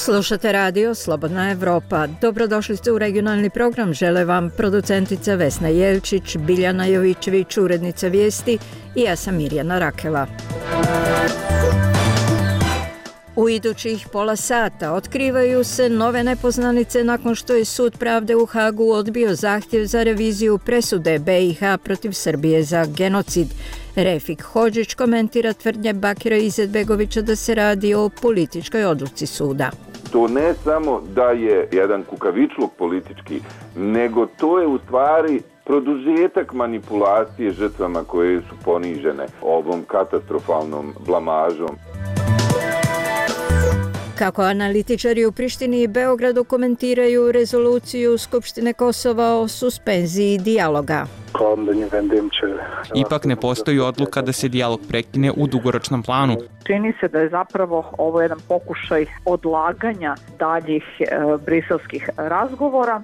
Slušate radio Slobodna Evropa. Dobrodošli ste u regionalni program. Žele vam producentica Vesna Jelčić, Biljana Jovičević, urednica vijesti i ja sam Mirjana Rakela. U idućih pola sata otkrivaju se nove nepoznanice nakon što je Sud pravde u Hagu odbio zahtjev za reviziju presude BiH protiv Srbije za genocid. Refik Hodžić komentira tvrdnje Bakira Izetbegovića da se radi o političkoj odluci suda. To ne samo da je jedan kukavičluk politički, nego to je u stvari produžetak manipulacije žrtvama koje su ponižene ovom katastrofalnom blamažom. Kako analitičari u Prištini i Beogradu komentiraju rezoluciju Skupštine Kosova o suspenziji dijaloga. Ipak ne postoji odluka da se dijalog prekine u dugoročnom planu. Čini se da je zapravo ovo jedan pokušaj odlaganja daljih briselskih razgovora.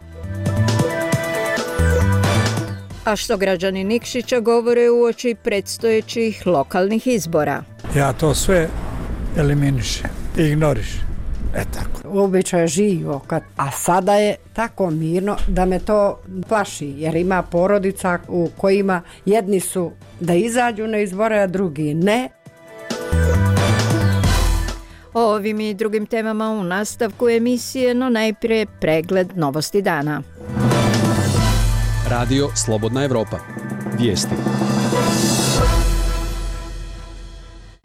A što građani Nikšića govore uoči predstojećih lokalnih izbora? Ja to sve eliminišem, ignorišem. Tako. Obično je živo, a sada je tako mirno da me to plaši, jer ima porodica u kojima jedni su da izađu na izbore, a drugi ne. O ovim i drugim temama u nastavku emisije, no najprije pregled novosti dana. Radio Slobodna Evropa. Vijesti.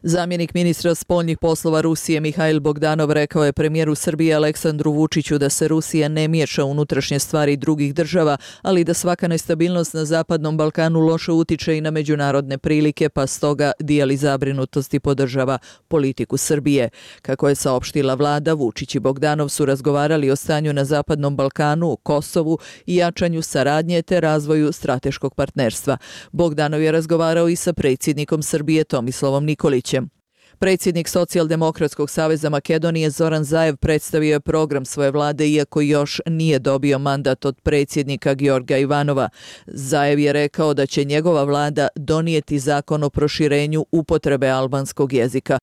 Zamjenik ministra spoljnih poslova Rusije Mihail Bogdanov rekao je premijeru Srbije Aleksandru Vučiću da se Rusija ne miješa u unutrašnje stvari drugih država, ali da svaka nestabilnost na Zapadnom Balkanu loše utiče i na međunarodne prilike, pa stoga dijeli zabrinutost i podržava politiku Srbije. Kako je saopštila vlada, Vučić i Bogdanov su razgovarali o stanju na Zapadnom Balkanu, Kosovu i jačanju saradnje te razvoju strateškog partnerstva. Bogdanov je razgovarao i sa predsjednikom Srbije Tomislavom Nikolićem. Predsjednik Socijaldemokratskog saveza Makedonije Zoran Zaev predstavio je program svoje vlade iako još nije dobio mandat od predsjednika Georga Ivanova. Zaev je rekao da će njegova vlada donijeti zakon o proširenju upotrebe albanskog jezika.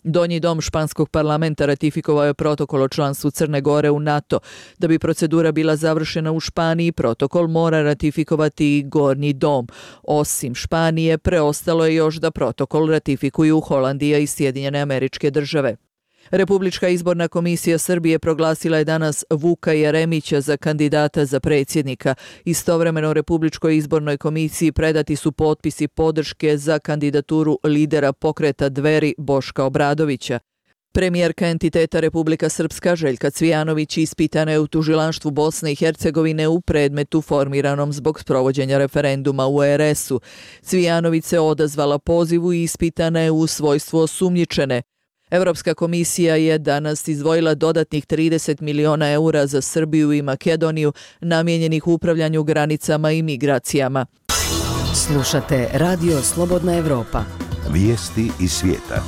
Donji dom španskog parlamenta ratifikovao je protokol o članstvu Crne Gore u NATO. Da bi procedura bila završena u Španiji, protokol mora ratifikovati i Gornji dom. Osim Španije, preostalo je još da protokol ratifikuju Holandija i Sjedinjene Američke Države. Republička izborna komisija Srbije proglasila je danas Vuka Jeremića za kandidata za predsjednika. Istovremeno Republičkoj izbornoj komisiji predati su potpisi podrške za kandidaturu lidera pokreta Dveri Boška Obradovića. Premijerka entiteta Republika Srpska Željka Cvijanović ispitana je u tužilaštvu Bosne i Hercegovine u predmetu formiranom zbog sprovođenja referenduma u RS-u. Cvijanović se odazvala pozivu i ispitana je u svojstvu osumnjičene. Europska komisija je danas izdvojila dodatnih 30 miliona eura za Srbiju i Makedoniju namijenjenih upravljanju granicama i migracijama. Slušate Radio Slobodna Evropa. Vijesti iz svijeta.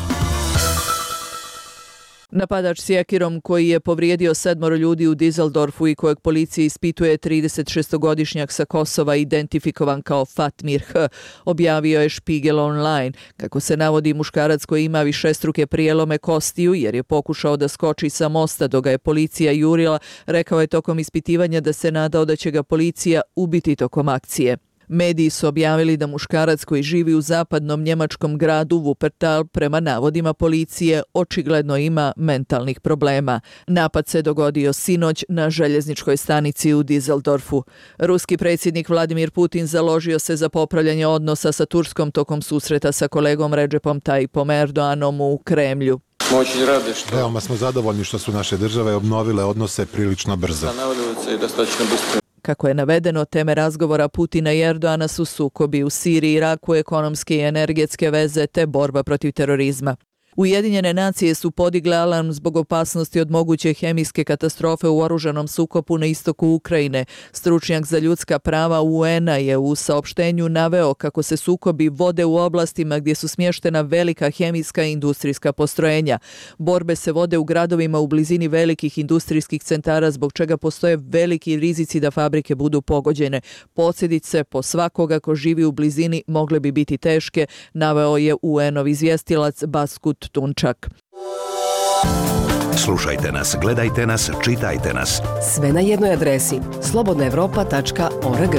Napadač sjekirom koji je povrijedio 7 ljudi u Düsseldorfu i kojeg policija ispituje 36-godišnjak sa Kosova identifikovan kao Fatmir H. objavio je Spiegel Online. Kako se navodi, muškarac koji ima višestruke prijelome kostiju jer je pokušao da skoči sa mosta dok ga je policija jurila, rekao je tokom ispitivanja da se nadao da će ga policija ubiti tokom akcije. Mediji su objavili da muškarac koji živi u zapadnom njemačkom gradu Wuppertal prema navodima policije očigledno ima mentalnih problema. Napad se dogodio sinoć na željezničkoj stanici u Düsseldorfu. Ruski predsjednik Vladimir Putin založio se za popravljanje odnosa sa Turskom tokom susreta sa kolegom Recepom Tayyipom Erdoganom u Kremlju. Veoma smo zadovoljni što su naše države obnovile odnose prilično brzo. Kako je navedeno, teme razgovora Putina i Erdogana su sukobi u Siriji, Iraku, ekonomske i energetske veze te borba protiv terorizma. Ujedinjene nacije su podigle alarm zbog opasnosti od moguće hemijske katastrofe u oružanom sukobu na istoku Ukrajine. Stručnjak za ljudska prava UN-a je u saopštenju naveo kako se sukobi vode u oblastima gdje su smještena velika hemijska i industrijska postrojenja. Borbe se vode u gradovima u blizini velikih industrijskih centara zbog čega postoje veliki rizici da fabrike budu pogođene. Posljedice po svakoga ko živi u blizini mogle bi biti teške, naveo je UN-ov izvjestilac Baskut Tunčak. Slušajte nas, gledajte nas, čitajte nas. Sve na jednoj adresi slobodnaevropa.org.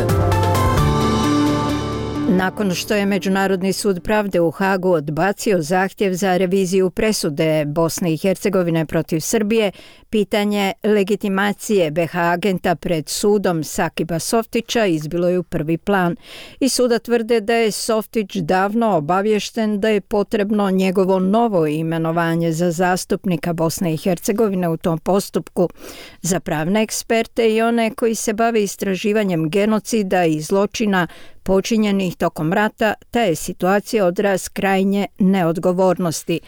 Nakon što je Međunarodni sud pravde u Hagu odbacio zahtjev za reviziju presude Bosne i Hercegovine protiv Srbije, pitanje legitimacije BiH agenta pred sudom Sakiba Softića izbilo je u prvi plan. I suda tvrde da je Softić davno obaviješten da je potrebno njegovo novo imenovanje za zastupnika Bosne i Hercegovine u tom postupku. Za pravne eksperte i one koji se bave istraživanjem genocida i zločina počinjenih tokom rata, ta je situacija odraz krajnje neodgovornosti.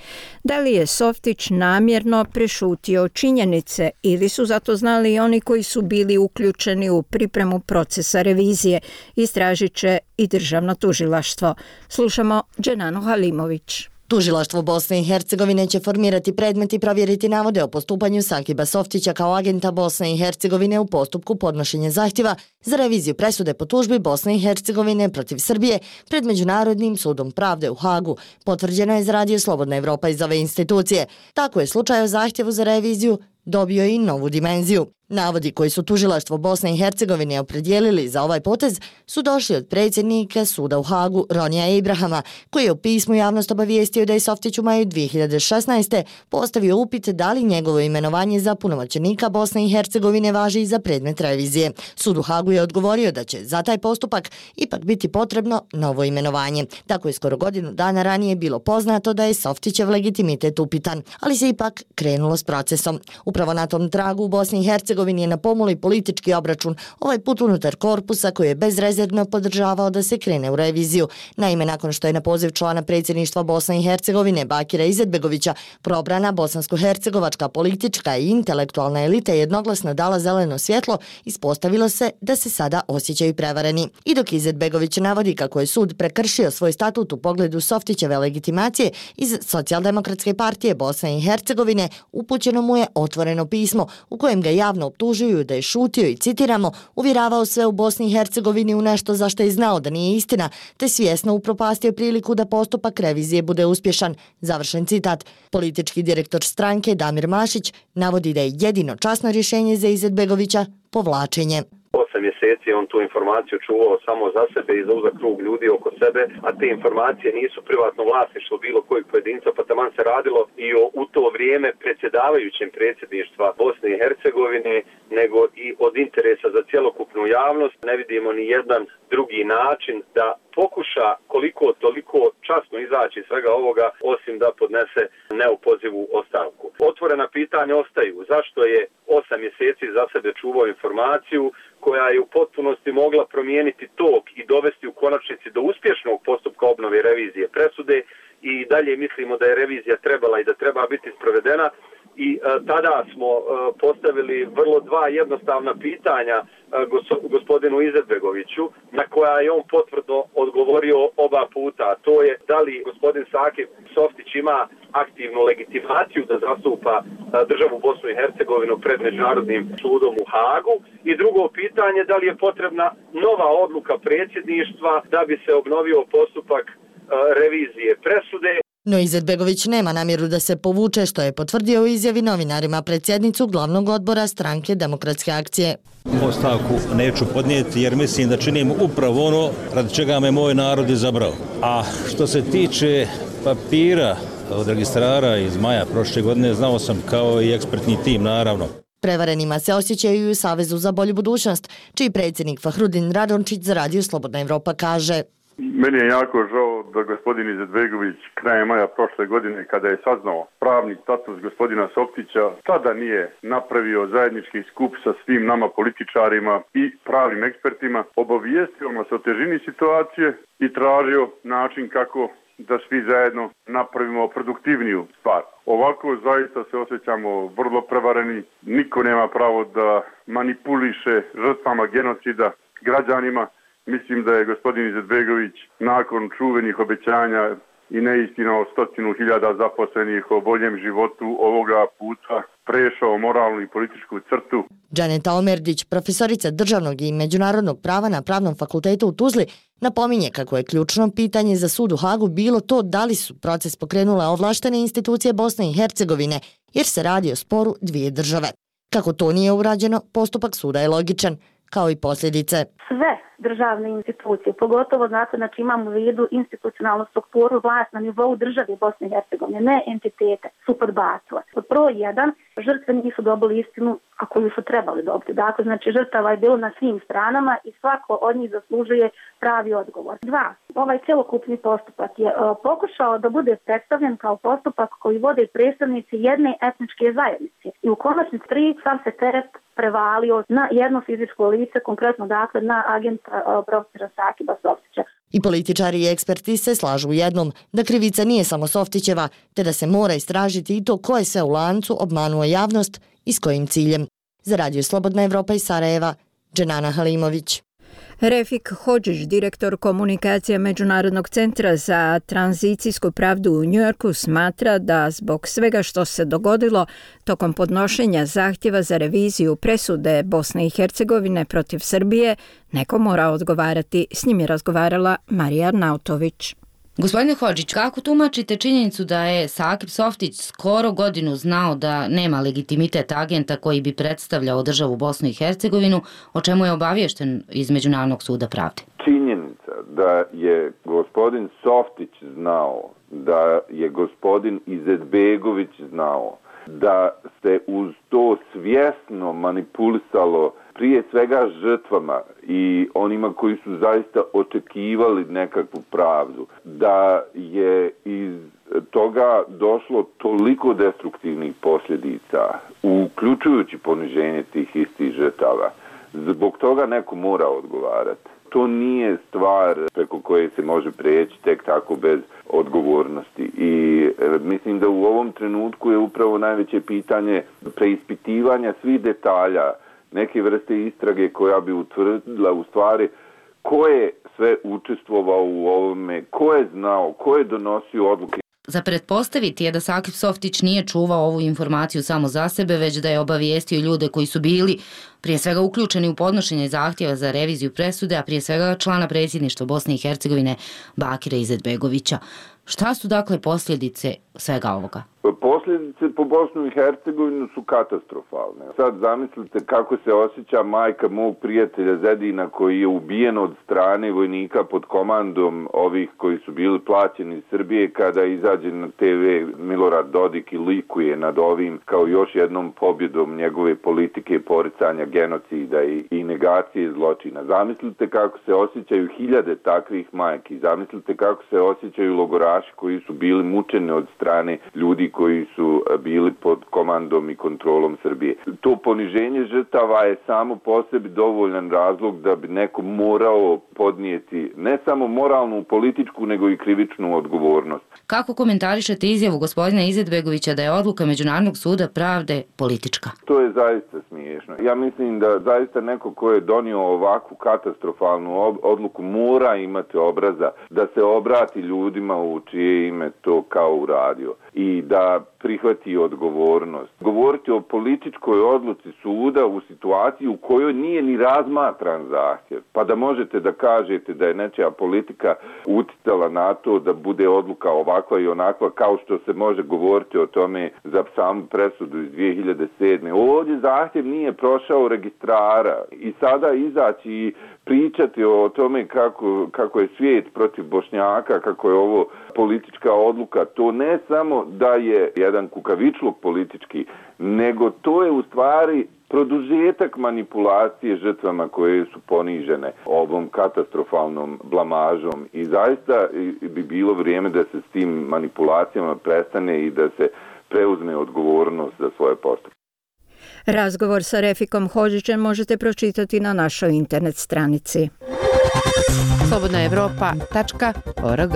Da li je Softić namjerno prešutio činjenice ili su zato znali i oni koji su bili uključeni u pripremu procesa revizije, istražit će i državno tužilaštvo. Slušamo Dženanu Halimović. Tužilaštvo Bosne i Hercegovine će formirati predmet i provjeriti navode o postupanju Sakiba Softića kao agenta Bosne i Hercegovine u postupku podnošenja zahtjeva za reviziju presude po tužbi Bosne i Hercegovine protiv Srbije pred Međunarodnim sudom pravde u Hagu. Potvrđeno je za Radio Slobodna Evropa iz ove institucije. Tako je slučaj o zahtjevu za reviziju dobio i novu dimenziju. Navodi koji su tužilaštvo Bosne i Hercegovine opredijelili za ovaj potez su došli od predsjednika suda u Hagu Ronija Abrahama, koji je u pismu javnost obavijestio da je Softić u maju 2016. postavio upit da li njegovo imenovanje za punomoćenika Bosne i Hercegovine važi i za predmet revizije. Sud u Hagu je odgovorio da će za taj postupak ipak biti potrebno novo imenovanje. Tako je skoro godinu dana ranije bilo poznato da je Softićev legitimitet upitan, ali se ipak krenulo s procesom. Upravo na tom tragu u Bosni i Hercegovini je na pomolu politički obračun, ovaj put unutar korpusa koji je bezrezervno podržavao da se krene u reviziju. Naime, nakon što je na poziv člana predsjedništva Bosne i Hercegovine Bakira Izetbegovića probrana bosansko-hercegovačka politička i intelektualna elita jednoglasno dala zeleno svjetlo, ispostavilo se da se sada osjećaju prevareni. I dok Izetbegović navodi kako je sud prekršio svoj statut u pogledu Softićeve legitimacije, iz Socijaldemokratske partije Bosne i Hercegovine upućeno mu je otvoreno pismo u kojem ga javno optužuju da je šutio i, citiramo, uvjeravao sve u Bosni i Hercegovini u nešto za što je znao da nije istina, te svjesno upropastio priliku da postupak revizije bude uspješan. Završen citat. Politički direktor stranke Damir Mašić navodi da je jedino časno rješenje za Izetbegovića povlačenje. 8 mjeseci on tu informaciju čuvao samo za sebe i za uzak krug ljudi oko sebe, a te informacije nisu privatno vlasništvo bilo kojeg pojedinca, pa taman se radilo i o u to vrijeme predsjedavajućem predsjedništva Bosne i Hercegovine, nego i od interesa za cjelokupnu javnost. Ne vidimo ni jedan drugi način da pokuša koliko toliko časno izaći iz svega ovoga, osim da podnese neopozivu ostavku. Otvorena pitanja ostaju. Zašto je 8 mjeseci za sebe čuvao informaciju koja je u potpunosti mogla promijeniti tok i dovesti u konačnici do uspješnog postupka obnove revizije presude, i dalje mislimo da je revizija trebala i da treba biti sprovedena. I tada smo postavili vrlo dva jednostavna pitanja gospodinu Izetbegoviću, na koja je on potvrdno odgovorio oba puta. To je da li gospodin Sakib Softić ima aktivnu legitimaciju da zastupa državu Bosnu i Hercegovinu pred Međunarodnim sudom u Hagu, i drugo pitanje da li je potrebna nova odluka predsjedništva da bi se obnovio postupak revizije presude. No Izetbegović nema namjeru da se povuče, što je potvrdio u izjavi novinarima pred sjednicu glavnog odbora stranke Demokratske akcije. Ostavku neću podnijeti jer mislim da činim upravo ono radi čega me moj narod izabrao. A što se tiče papira od registrara iz maja prošle godine, znao sam kao i ekspertni tim, naravno. Prevarenima se osjećaju i u Savezu za bolju budućnost, čiji predsjednik Fahrudin Radončić za Radio Slobodna Evropa kaže: Meni je jako žao da gospodin Izetbegović krajem maja prošle godine, kada je saznao pravni status gospodina Softića, tada nije napravio zajednički skup sa svim nama političarima i pravnim ekspertima, obavijestio nas o težini situacije i tražio način kako da svi zajedno napravimo produktivniju stvar. Ovako zaista se osjećamo vrlo prevareni, niko nema pravo da manipuliše žrtvama genocida, građanima. Mislim da je gospodin Izetbegović nakon čuvenih obećanja i neistina o 100.000 zaposlenih o boljem životu ovoga puta prešao moralnu i političku crtu. Džaneta Omerdić, profesorica državnog i međunarodnog prava na Pravnom fakultetu u Tuzli, napominje kako je ključno pitanje za sud u Hagu bilo to da li su proces pokrenule ovlaštene institucije Bosne i Hercegovine jer se radi o sporu dvije države. Kako to nije urađeno, postupak suda je logičan, kao i posljedice. Sve državne institucije, pogotovo znači imamo u vidu institucionalnu strukturu vlast na nivou države Bosne i Hercegovine, ne entitete, su podbacile. Pod broj 1, žrtve nisu dobili istinu, a koju su trebali dobiti. Dakle, znači žrtava je bilo na svim stranama i svako od njih zaslužuje pravi odgovor. 2, ovaj celokupni postupak je pokušao da bude predstavljen kao postupak koji vode predstavnici jedne etničke zajednice. I u konačnici 3, sam se teret prevalio na jedno fizičko lice, konkretno dakle na agenta profesora Sakiba Softića. I političari i eksperti se slažu u jednom, da krivica nije samo Softićeva, te da se mora istražiti i to ko je sve u lancu obmanuo javnost i s kojim ciljem. Za Radio Slobodna Evropa iz Sarajeva, Dženana Halimović. Refik Hodžić, direktor komunikacija Međunarodnog centra za tranzicijsku pravdu u Njujorku, smatra da zbog svega što se dogodilo tokom podnošenja zahtjeva za reviziju presude Bosne i Hercegovine protiv Srbije, neko mora odgovarati. S njim je razgovarala Marija Arnautović. Gospodine Hodžić, kako tumačite činjenicu da je Sakip Softić skoro godinu znao da nema legitimitet agenta koji bi predstavljao državu Bosnu i Hercegovinu, o čemu je obaviješten iz Međunarodnog suda pravde? Činjenica da je gospodin Softić znao, da je gospodin Izetbegović znao, da se uz to svjesno manipulisalo prije svega žrtvama i onima koji su zaista očekivali nekakvu pravdu, da je iz toga došlo toliko destruktivnih posljedica, uključujući poniženje tih istih žrtava. Zbog toga neko mora odgovarati. To nije stvar preko koje se može prijeći tek tako bez odgovornosti. I mislim da u ovom trenutku je upravo najveće pitanje preispitivanja svih detalja, neke vrste istrage koja bi utvrdila u stvari ko je sve učestvovao u ovome, ko je znao, ko je donosio odluke. Za pretpostaviti je da Sakip Softić nije čuvao ovu informaciju samo za sebe, već da je obavijestio ljude koji su bili prije svega uključeni u podnošenje zahtjeva za reviziju presude, a prije svega člana predsjedništva Bosne i Hercegovine Bakira Izetbegovića. Šta su dakle posljedice svega ovoga? Posljedice po Bosnu i Hercegovinu su katastrofalne. Sad zamislite kako se osjeća majka mog prijatelja Zedina koji je ubijen od strane vojnika pod komandom ovih koji su bili plaćeni iz Srbije kada izađe na TV Milorad Dodik i likuje nad ovim kao još jednom pobjedom njegove politike poricanja genocida i negacije zločina. Zamislite kako se osjećaju hiljade takvih majki. Zamislite kako se osjećaju logoraši koji su bili mučeni od strane ljudi koji su bili pod komandom i kontrolom Srbije. To poniženje žrtava je samo po sebi dovoljan razlog da bi neko morao podnijeti ne samo moralnu, političku, nego i krivičnu odgovornost. Kako komentarišete izjavu gospodina Izetbegovića da je odluka Međunarodnog suda pravde politička? To je zaista smiješno. Ja mislim da zaista neko ko je donio ovakvu katastrofalnu odluku mora imati obraza da se obrati ljudima u čije ime to kao uradio i da prihvati odgovornost. Govoriti o političkoj odluci suda u situaciji u kojoj nije ni razmatran zahtjev, pa da možete da kažete da je nečija politika uticala na to da bude odluka ovakva i onakva, kao što se može govoriti o tome za samu presudu iz 2007. Ovdje zahtjev nije prošao registrara i sada izaći i pričati o tome kako je svijet protiv Bošnjaka, kako je ovo politička odluka, to ne samo da je jedan kukavičluk politički, nego to je u stvari produžetak manipulacije žrtvama koje su ponižene ovom katastrofalnom blamažom i zaista bi bilo vrijeme da se s tim manipulacijama prestane i da se preuzme odgovornost za svoje postupke. Razgovor sa Refikom Hodžićem možete pročitati na našoj internet stranici. slobodnaevropa.org.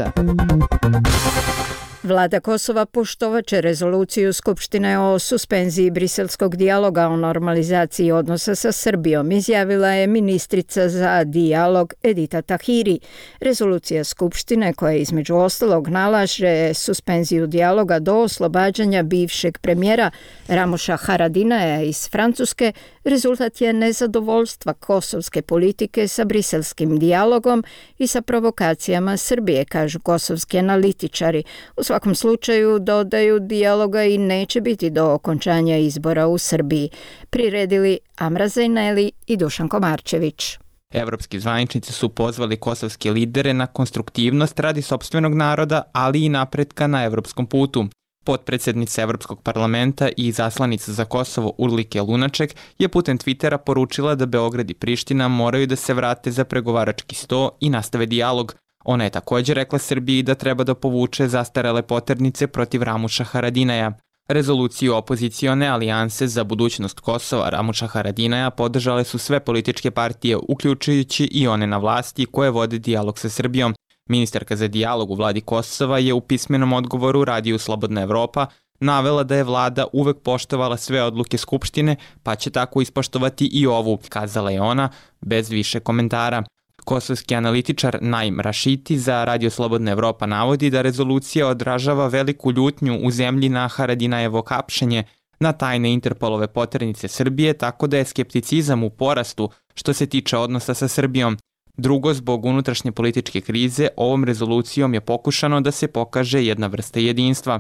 Vlada Kosova poštovaće rezoluciju Skupštine o suspenziji briselskog dijaloga o normalizaciji odnosa sa Srbijom, izjavila je ministrica za dijalog Edita Tahiri. Rezolucija Skupštine, koja između ostalog nalaže suspenziju dijaloga do oslobađanja bivšeg premijera Ramoša Haradinaja iz Francuske, rezultat je nezadovoljstva kosovske politike sa briselskim dijalogom i sa provokacijama Srbije, kažu kosovski analitičari. U svakom slučaju, dodaju, dijaloga i neće biti do okončanja izbora u Srbiji. Priredili Amra Zejneli i Dušan Komarčević. Evropski zvaničnici su pozvali kosovske lidere na konstruktivnost radi sopstvenog naroda, ali i napretka na evropskom putu. Potpredsednica Evropskog parlamenta i zaslanica za Kosovo Urlike Lunaček je putem Twittera poručila da Beograd i Priština moraju da se vrate za pregovarački sto i nastave dijalog. Ona je također rekla Srbiji da treba da povuče zastarele poternice protiv Ramuša Haradinaja. Rezoluciju opozicione alijanse za budućnost Kosova Ramuša Haradinaja podržale su sve političke partije, uključujući i one na vlasti koje vode dijalog sa Srbijom. Ministarka za dijalog u vladi Kosova je u pismenom odgovoru Radiju Slobodna Evropa navela da je vlada uvek poštovala sve odluke Skupštine, pa će tako ispoštovati i ovu, kazala je ona, bez više komentara. Kosovski analitičar Naim Rašiti za Radio Slobodna Evropa navodi da rezolucija odražava veliku ljutnju u zemlji na Haradinajevo hapšenje na tajne Interpolove poternice Srbije, tako da je skepticizam u porastu što se tiče odnosa sa Srbijom. Drugo, zbog unutrašnje političke krize, ovom rezolucijom je pokušano da se pokaže jedna vrsta jedinstva.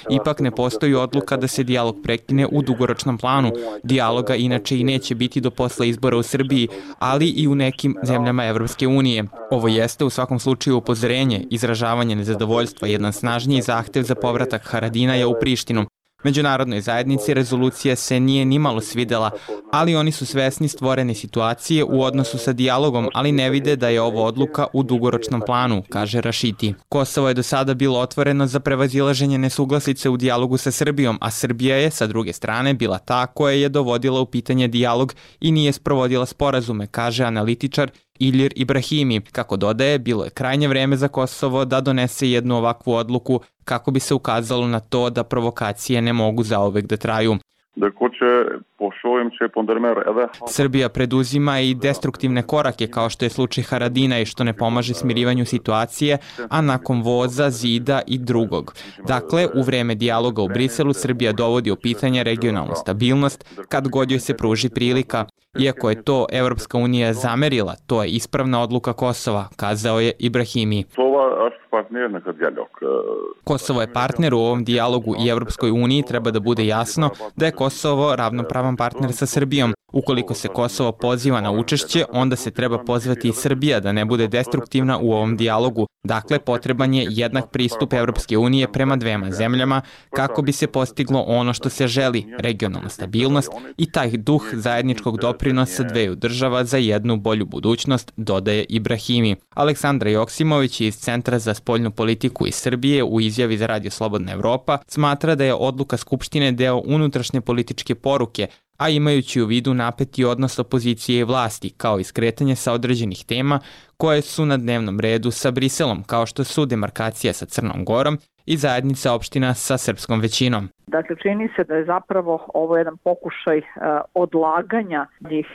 Ipak ne postoji odluka da se dijalog prekine u dugoročnom planu. Dijaloga inače i neće biti do posle izbora u Srbiji, ali i u nekim zemljama Evropske unije. Ovo jeste u svakom slučaju upozorenje, izražavanje nezadovoljstva, jedan snažniji zahtev za povratak Haradinaja u Prištinu. Međunarodnoj zajednici rezolucija se nije nimalo svidela, ali oni su svesni stvorene situacije u odnosu sa dijalogom, ali ne vide da je ovo odluka u dugoročnom planu, kaže Rašiti. Kosovo je do sada bilo otvoreno za prevazilaženje nesuglasice u dijalogu sa Srbijom, a Srbija je, sa druge strane, bila ta koja je dovodila u pitanje dijalog i nije sprovodila sporazume, kaže analitičar Ilir Ibrahimi. Kako dodaje, bilo je krajnje vreme za Kosovo da donese jednu ovakvu odluku kako bi se ukazalo na to da provokacije ne mogu zauvek da traju. Srbija preduzima i destruktivne korake kao što je slučaj Haradina i što ne pomaže smirivanju situacije, a nakon voza, zida i drugog. Dakle, u vreme dijaloga u Briselu Srbija dovodi u pitanje regionalnu stabilnost kad god joj se pruži prilika. Iako je to Evropska unija zamerila, to je ispravna odluka Kosova, kazao je Ibrahimi. Kosovo je partner u ovom dijalogu i Evropskoj uniji treba da bude jasno da je Kosovo ravnopravan partner sa Srbijom. Ukoliko se Kosovo poziva na učešće, onda se treba pozvati i Srbija da ne bude destruktivna u ovom dijalogu. Dakle, potreban je jednak pristup Evropske unije prema dvema zemljama kako bi se postiglo ono što se želi, regionalna stabilnost i taj duh zajedničkog doprinosa dveju država za jednu bolju budućnost, dodaje Ibrahimi. Aleksandra Joksimović iz Centra za spoljnu politiku iz Srbije u izjavi za Radio Slobodna Evropa smatra da je odluka Skupštine deo unutrašnje političke poruke, a imajući u vidu napeti odnos opozicije i vlasti, kao i skretanje sa određenih tema koje su na dnevnom redu sa Briselom, kao što su demarkacija sa Crnom Gorom i zajednica opština sa srpskom većinom. Dakle, čini se da je zapravo ovo jedan pokušaj odlaganja tih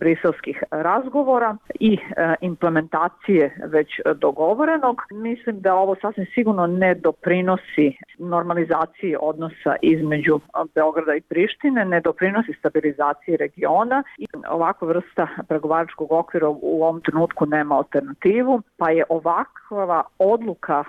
briselskih razgovora i implementacije već dogovorenog. Mislim da ovo sasvim sigurno ne doprinosi normalizaciji odnosa između Beograda i Prištine, ne doprinosi stabilizaciji regiona i ovakva vrsta pregovaračkog okvira u ovom trenutku nema alternativu, pa je ovakva odluka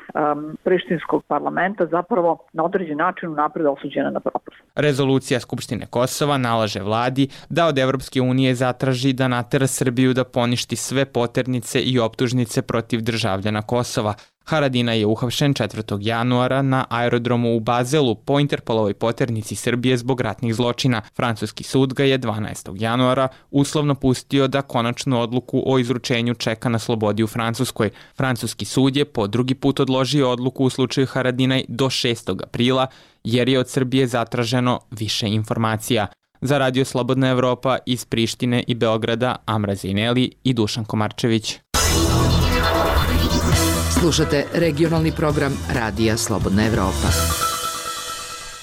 prištinskog parlamenta zapravo na određen način unapred osuđena na propast. Rezolucija Skupštine Kosova nalaže vladi da od Evropske unije zatraži da natera Srbiju da poništi sve poternice i optužnice protiv državljana Kosova. Haradinaj je uhapšen 4. januara na aerodromu u Bazelu po Interpolovoj poternici Srbije zbog ratnih zločina. Francuski sud ga je 12. januara uslovno pustio da konačnu odluku o izručenju čeka na slobodi u Francuskoj. Francuski sud je po drugi put odložio odluku u slučaju Haradinaj do 6. aprila jer je od Srbije zatraženo više informacija. Za Radio Slobodna Evropa iz Prištine i Beograda Amra Zejneli i Dušan Komarčević. Slušate regionalni program Radija Slobodna Evropa.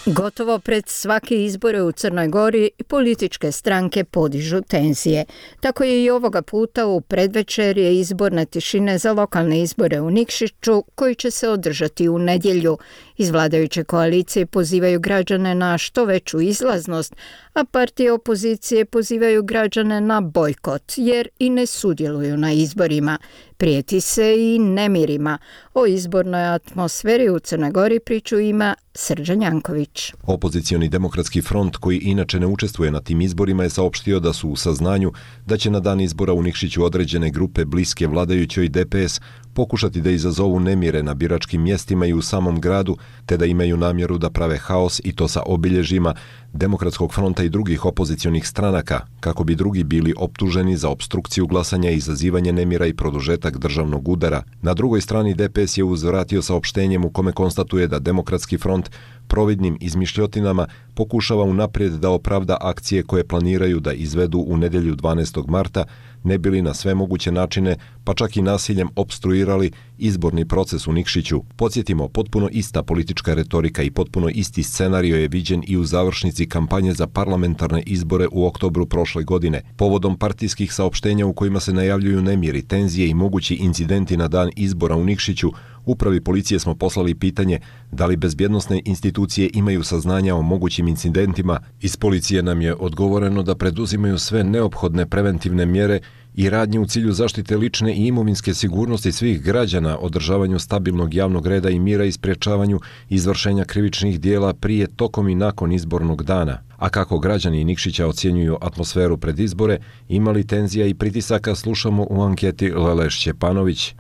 Gotovo pred svake izbore u Crnoj Gori političke stranke podižu tenzije. Tako je i ovoga puta u predvečerje izborne tišine za lokalne izbore u Nikšiću koji će se održati u nedjelju. Iz vladajuće koalicije pozivaju građane na što veću izlaznost, a partije opozicije pozivaju građane na bojkot jer i ne sudjeluju na izborima. Prijeti se i nemirima. O izbornoj atmosferi u Crnoj Gori priču ima Srđan Janković. Opozicioni demokratski front, koji inače ne učestvuje na tim izborima, je saopštio da su u saznanju da će na dan izbora u Nikšiću određene grupe bliske vladajućoj DPS pokušati da izazovu nemire na biračkim mjestima i u samom gradu, te da imaju namjeru da prave haos i to sa obilježjima Demokratskog fronta i drugih opozicionih stranaka, kako bi drugi bili optuženi za opstrukciju glasanja, izazivanje nemira i produžetak državnog udara. Na drugoj strani DPS je uzvratio saopštenjem u kome konstatuje da Demokratski front providnim izmišljotinama pokušava unaprijed da opravda akcije koje planiraju da izvedu u nedjelju 12. marta, ne bili na sve moguće načine, pa čak i nasiljem opstruirali izborni proces u Nikšiću. Podsjetimo, potpuno ista politička retorika i potpuno isti scenario je viđen i u završnici kampanje za parlamentarne izbore u oktobru prošle godine. Povodom partijskih saopštenja u kojima se najavljuju nemiri, tenzije i mogući incidenti na dan izbora u Nikšiću, Upravi policije smo poslali pitanje da li bezbjednosne institucije imaju saznanja o mogućim incidentima. Iz policije nam je odgovoreno da preduzimaju sve neophodne preventivne mjere i radnje u cilju zaštite lične i imovinske sigurnosti svih građana, održavanju stabilnog javnog reda i mira i sprječavanju izvršenja krivičnih dijela prije, tokom i nakon izbornog dana. A kako građani Nikšića ocjenjuju atmosferu pred izbore, imali tenzija i pritisaka, slušamo u anketi Lele Šćepanović.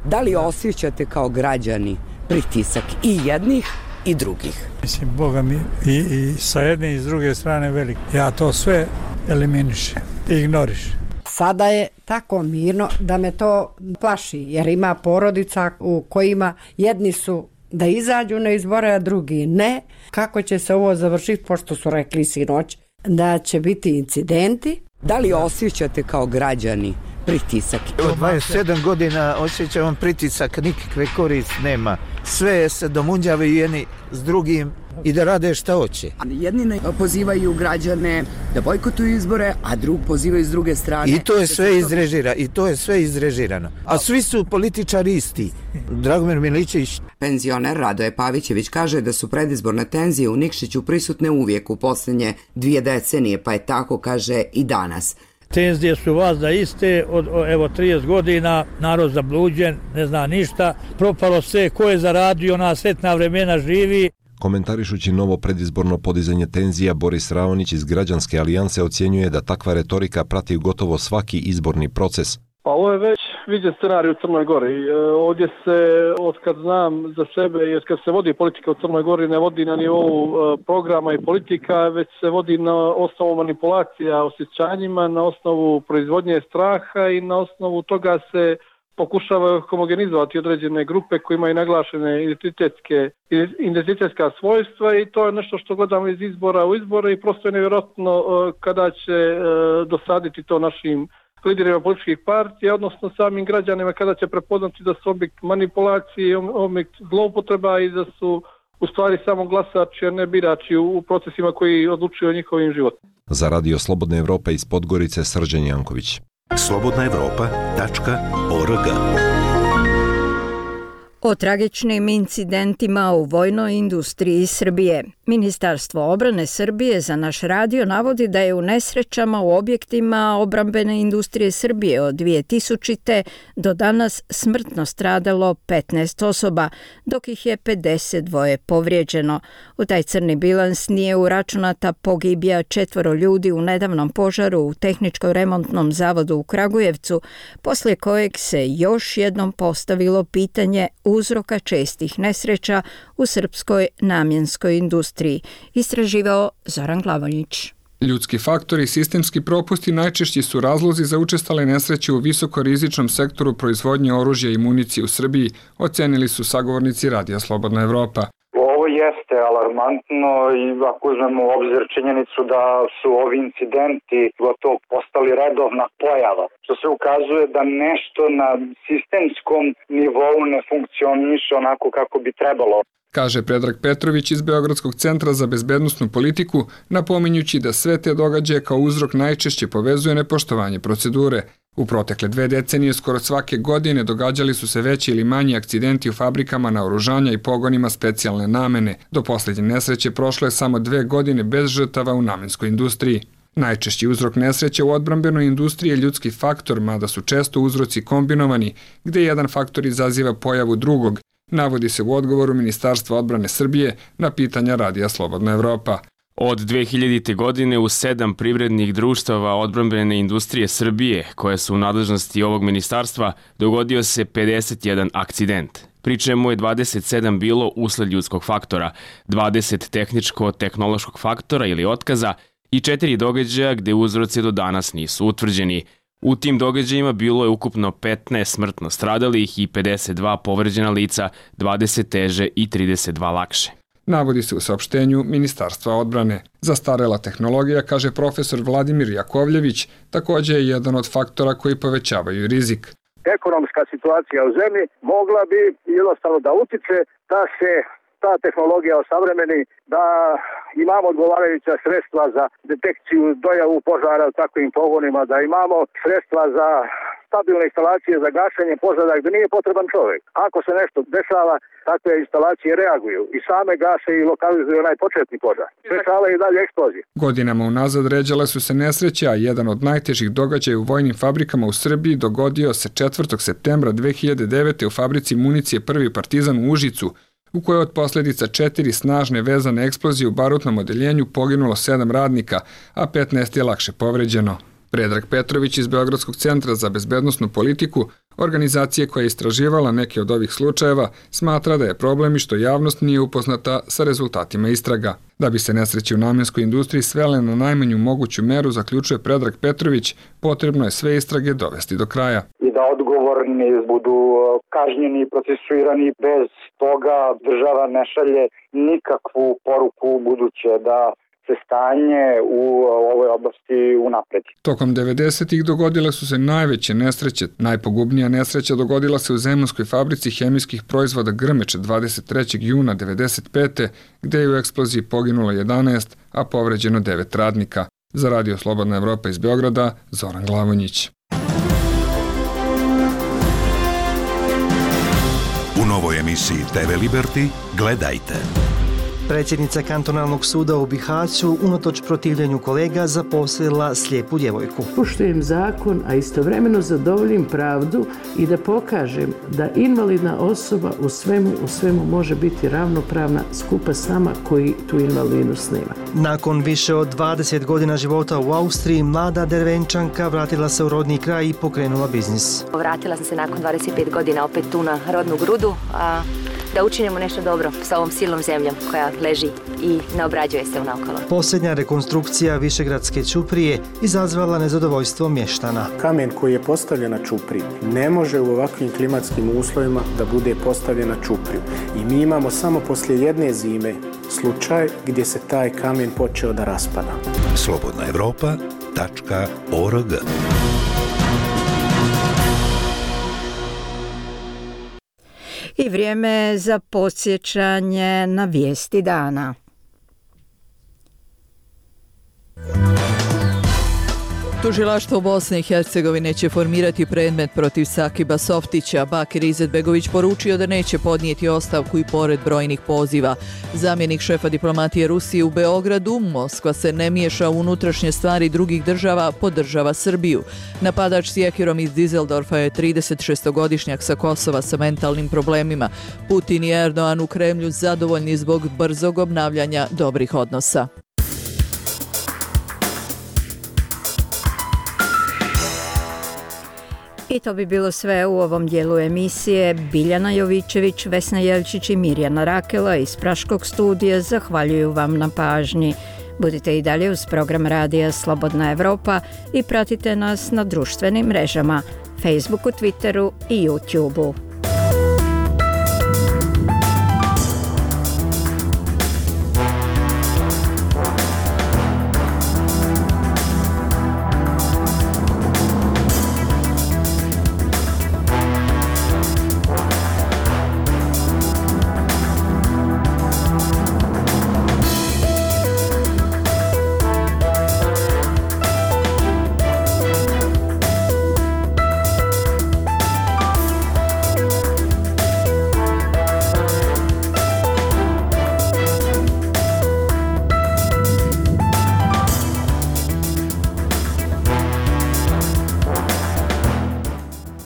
Da li osjećate kao građani pritisak i jednih i drugih? Mislim, Boga mi i sa jedne i s druge strane velik. Ja to sve eliminišem, ignorišem. Sada je tako mirno da me to plaši, jer ima porodica u kojima jedni su da izađu na izbore, a drugi ne. Kako će se ovo završiti, pošto su rekli sinoć da će biti incidenti? Da li osjećate kao građani pritisak? Od 27 godina osjećam pritisak, nikakve korist nema. Sve se domunđavaju jedni s drugim i da rade šta hoće. Jedni pozivaju građane da bojkotuju izbore, a drug pozivaju s druge strane. I to je sve izrežirano. A svi su političari isti. Dragomir Milićević. Penzioner Radoje Pavićević kaže da su predizborne tenzije u Nikšiću prisutne uvijek u posljednje 2 decenije, pa je tako, kaže, i danas. Tenzije su vazda iste, od 30 godina, narod zabluđen, ne zna ništa, propalo sve, ko je zaradio, na sretna vremena živi. Komentarišući novo predizborno podizanje tenzija, Boris Raonić iz Građanske alijanse ocjenjuje da takva retorika prati gotovo svaki izborni proces. Pa ovo je već viđen scenarij u Crnoj Gori. Ovdje se, otkad znam za sebe, jer kad se vodi politika u Crnoj Gori, ne vodi na nivou programa i politika, već se vodi na osnovu manipulacija osjećanjima, na osnovu proizvodnje straha i na osnovu toga se pokušava homogenizovati određene grupe koje imaju naglašene identitetska svojstva i to je nešto što gledamo iz izbora u izbore i prosto je nevjerojatno kada će dosaditi to našim liderima političkih partija, odnosno samim građanima kada će prepoznati da su objekt manipulacije, objekt zloupotreba i da su u stvari samo glasači, a ne birači u procesima koji odlučuju o njihovim životima. Za Radio Slobodna Evropa iz Podgorice, Srđan Janković. slobodnaevropa.org. O tragičnim incidentima u vojnoj industriji Srbije. Ministarstvo obrane Srbije za naš radio navodi da je u nesrećama u objektima obrambene industrije Srbije od 2000. do danas smrtno stradalo 15 osoba, dok ih je 52 povrijeđeno. U taj crni bilans nije uračunata pogibija 4 ljudi u nedavnom požaru u Tehničko-remontnom zavodu u Kragujevcu, poslije kojeg se još jednom postavilo pitanje uzroka čestih nesreća u srpskoj namjenskoj industriji. Istraživao Zoran Glavoljić. Ljudski faktori i sistemski propusti najčešći su razlozi za učestale nesreće u visokorizičnom sektoru proizvodnje oružja i municije u Srbiji, ocenili su sagovornici Radija Slobodna Evropa. Ovo jeste alarmantno i ako uzmemo u obzir činjenicu da su ovi incidenti gotovo postali redovna pojava, što se ukazuje da nešto na sistemskom nivou ne funkcioniše onako kako bi trebalo. Kaže Predrag Petrović iz Beogradskog centra za bezbednosnu politiku, napominjući da sve te događaje kao uzrok najčešće povezuje nepoštovanje procedure. U protekle 2 decenije skoro svake godine događali su se veći ili manji akcidenti u fabrikama naoružanja i pogonima specijalne namene. Do posljednje nesreće prošlo je samo 2 godine bez žrtava u namenskoj industriji. Najčešći uzrok nesreće u odbrambenoj industriji je ljudski faktor, mada su često uzroci kombinovani, gdje jedan faktor izaziva pojavu drugog, navodi se u odgovoru Ministarstva odbrane Srbije na pitanja Radija Slobodna Evropa. Od 2000. godine u 7 privrednih društava odbrambene industrije Srbije, koje su u nadležnosti ovog ministarstva, dogodio se 51 akcident. Pri čemu je 27 bilo usled ljudskog faktora, 20 tehničko-tehnološkog faktora ili otkaza i 4 događaja gde uzroci do danas nisu utvrđeni. U tim događajima bilo je ukupno 15 smrtno stradalih i 52 povređena lica, 20 teže i 32 lakše. Navodi se u saopštenju Ministarstva odbrane. Zastarela tehnologija, kaže profesor Vladimir Jakovljević, također je jedan od faktora koji povećavaju rizik. Ekonomska situacija u zemlji mogla bi jednostavno da utiče da se ta tehnologija osavremeni, da imamo odgovarajuća sredstva za detekciju, dojavu požara u takvim pogonima, da imamo sredstva za stabilne instalacije za gašenje požara gdje nije potreban čovjek. Ako se nešto dešava, takve instalacije reaguju i same gase i lokalizuju onaj početni požar. Sprečavaju i dalje eksplozije. Godinama unazad ređale su se nesreće, a jedan od najtežih događaja u vojnim fabrikama u Srbiji dogodio se 4. septembra 2009. u fabrici municije Prvi Partizan u Užicu, u kojoj od posljedica 4 snažne vezane eksplozije u barutnom odeljenju poginulo 7 radnika, a 15 je lakše povređeno. Predrag Petrović iz Beogradskog centra za bezbednosnu politiku, organizacije koja je istraživala neke od ovih slučajeva, smatra da je problem i što javnost nije upoznata sa rezultatima istraga. Da bi se nesreće u namenskoj industriji svele na najmanju moguću meru, zaključuje Predrag Petrović, potrebno je sve istrage dovesti do kraja. I da odgovorni budu kažnjeni i procesuirani, bez toga država ne šalje nikakvu poruku buduće da se stanje u ovoj oblasti unapredi. Tokom 90-ih dogodile su se najveće nesreće. Najpogubnija nesreća dogodila se u zemunskoj fabrici hemijskih proizvoda Grmeč 23. juna 1995. gdje je u eksploziji poginulo 11, a povređeno 9 radnika. Za Radio Slobodna Evropa iz Beograda, Zoran Glavonjić. U novoj emisiji TV Liberty gledajte. Predsjednica kantonalnog suda u Bihaću unatoč protivljenju kolega zaposlila slijepu djevojku. Poštujem zakon, a istovremeno zadovoljim pravdu i da pokažem da invalidna osoba u svemu može biti ravnopravna skupa s nama koji tu invalidnost nema. Nakon više od 20 godina života u Austriji, mlada Dervenčanka vratila se u rodni kraj i pokrenula biznis. Vratila sam se nakon 25 godina opet tu na rodnu grudu, a da učinimo nešto dobro sa ovom silnom zemljom koja leži i ne obrađuje se unaokolo. Posljednja rekonstrukcija Višegradske ćuprije izazvala nezadovoljstvo mještana. Kamen koji je postavljen na ćupriji ne može u ovakvim klimatskim uslovima da bude postavljen na ćupriju. I mi imamo samo poslije jedne zime slučaj gdje se taj kamen počeo da raspada. slobodnaevropa.org I vrijeme za podsjećanje na vijesti dana. Tužilaštvo Bosne i Hercegovine će formirati predmet protiv Sakiba Softića. Bakir Izetbegović poručio da neće podnijeti ostavku i pored brojnih poziva. Zamjenik šefa diplomatije Rusije u Beogradu, Moskva se ne miješa u unutrašnje stvari drugih država, podržava Srbiju. Napadač s jekirom iz Dizeldorfa je 36-godišnjak sa Kosova sa mentalnim problemima. Putin i Erdogan u Kremlju zadovoljni zbog brzog obnavljanja dobrih odnosa. I to bi bilo sve u ovom dijelu emisije. Biljana Jovićević, Vesna Jelčić i Mirjana Rakela iz Praškog studija zahvaljuju vam na pažnji. Budite i dalje uz program Radija Slobodna Evropa i pratite nas na društvenim mrežama, Facebooku, Twitteru i YouTubeu.